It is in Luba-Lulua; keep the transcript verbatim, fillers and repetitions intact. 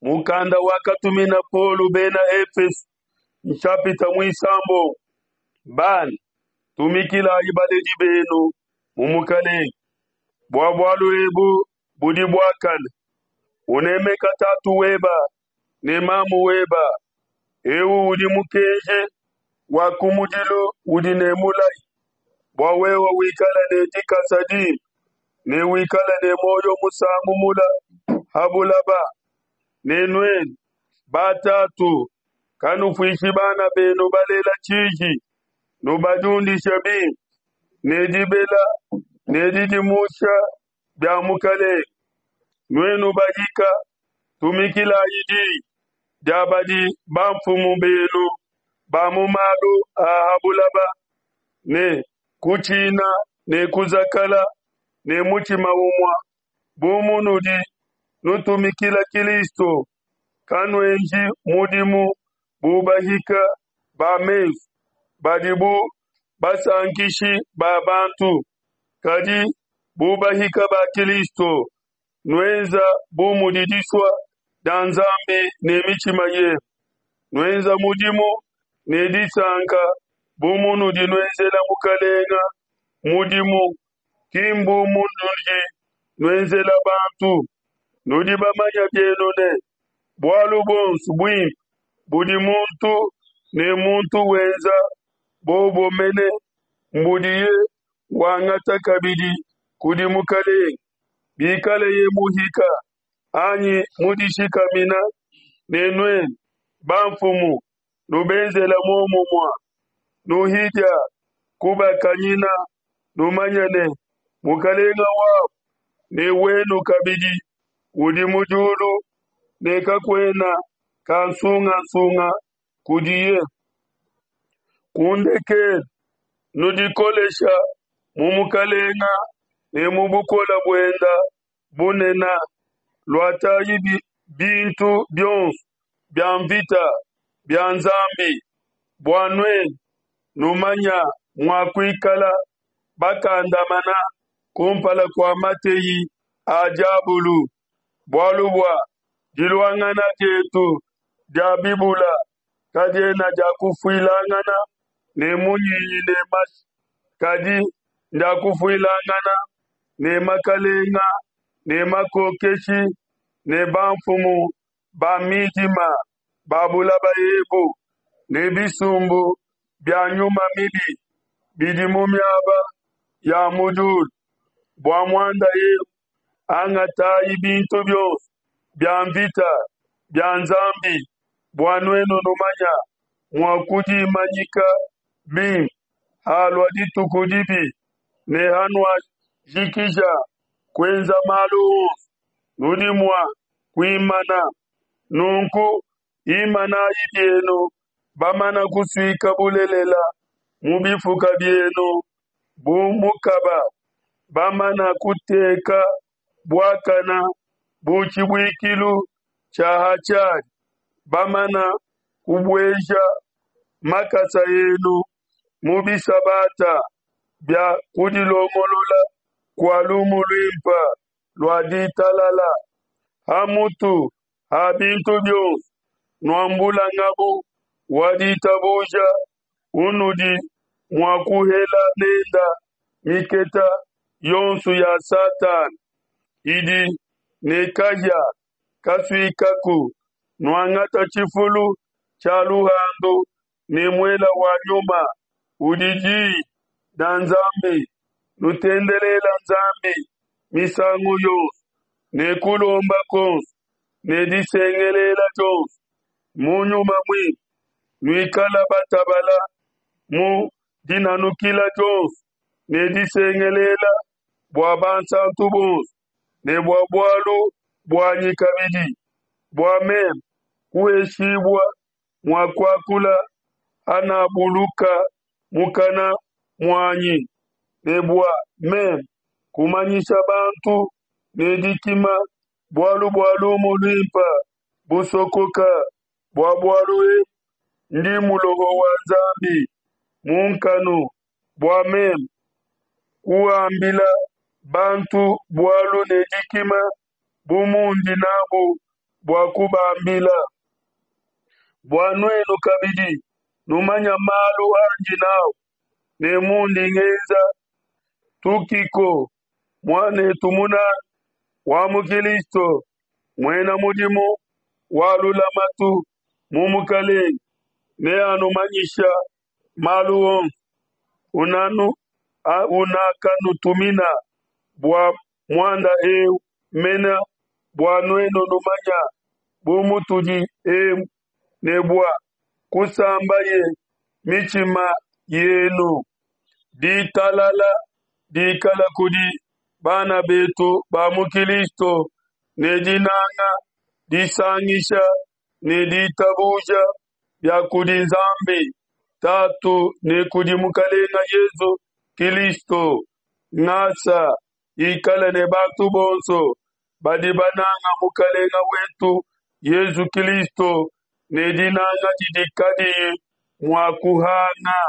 Mukanda wakatumina Paulo bena Efeso nshapita muisambombo. Bana, tumikilayi baledi benu mu mukalenge, bua bualu ebu budi buakane. Unemeka tatu weba ne mamu weba, eu udi mukenji wa kumudilu udi ne mulayi, bua wewe wikala ne dikasa dimpe ne wikala ne muoyo musangu mula ha bulaba. Ne nuenu batatu, kanufikishi bana benu balela tshiji, nubadiundishe bimpe ne dibela ne didimusha bia Mukalenge. Nuenu bahika, tumikilayi diyi dia badi bamfumu benu ba mu malu a ha bulaba ne kutshina ne kuzakala ne mutshima umue bu munudi nutumikila Kilisto, kanuenji mudimu bu bahika ba mesu badi bu basankishi ba bantu, kadi bu bahika ba Kilisto, nuenza bu mudi disua dia Nzambi ne mitshima yenu, nuenza mudimu ne disanka bu munudi nuenzela Mukalenge mudimu, ki mbu munudi nuenzela bantu. Nudi bamanye bienu ne, bualu buonso buimpe budi muntu ne muntu wenza, bobo mene mbudiye wangata kabidi kudi Mukalenge, bikaleye muhika anyi mudishikamina. Ne nuenu bamfumu, nubenzele muomumue, nuhidia kubakanyina, numanye ne, Mukalenge wabo ne wenu kabidi udi mu diulu ne kakuena kansungasunga kudiye. Ku ndekelu, nudikolesha mu Mukalenga ne mu bukola buenda bunena. Luatayi bintu bionso bia mvita bia Nzambi bua nuenu numanya mua kuikala bakandamana kumpala kua mateyi a diabulu. Bualu bua diluangana dietu dia bibula kadiena dia kufuilangana ne munyinyi ne mashi, kadi ndia kufuilangana ne makalenga ne makokeshi ne bamfumu ba midima ba bulaba ebu ne bisumbu bia nyuma mibi bidi mu miaba ya mu diulu. Bua muanda eu, angatayi bintu bionso bia mvita bia Nzambi bua nuenu numanya mua kudimanyika bimpe halua dituku dibi, ne hanuajikija kuenza malu onso, nudi mua kuimana. Nunku imanayi bienu bamana kusuika bulelela mu bifuka bienu bu mukaba, bamana kuteka buakana bu tshibuikilu tshia ha tshiadi, bamana kubueja makasa enu mu bisabata bia kudilongolola kua lumu luimpe lua ditalala. Ha mutu ha bintu bionso nuambula ngabu wa ditabuja unudi mua kuhela nenda miketa yonso ya Satana idi ne kahia kasuikaku. Nuangata tshifulu tshia luhandu ne muela wa nyuma udi diyi dia Nzambi. Nutendelela Nzambi misangu yonso ne kulomba kuonso ne disengelela dionso mu nyuma muimpe, nuikala batabala mu dinanukila dionso ne disengelela bua bansantu bonso ne bua bualu buanyi kabidi, bua meme kuheshibua mua kuakula hanabuluka mukana muanyi, ne bua meme kumanyisha bantu ne dikima bualu bua lumu luimpe busokoka. Bua bualu ebu ndi muloho wa Nzambi mu nkanu, bua meme kuambila bantu bualu ne dikima bu mundi nabu bua kubambila, bua nuenu kabidi numanya malu andi n'au ne mundi ngenza. Tukiko, muan'etu munanga wa mu Kilisto, muena mudimu wa lulamatu mu Mukalenge, neanumanyisha malu onso unanu unakanutumina bua muanda eu mene, bua nuenu numanya bu mutudi emu, ne bua kusambaye mitshima yenu. Ditalala dikala kudi bana betu ba mu Kilisto ne dinanga disangisha ne ditabuja bia kudi Nzambi Tatu ne kudi Mukalenge Yezu Kilisto. Ngasa ikale ne bantu bonso badi bananga Mukalenge wetu Yezu Kilisto ne dinanga didi kadiyi mua kuhanga.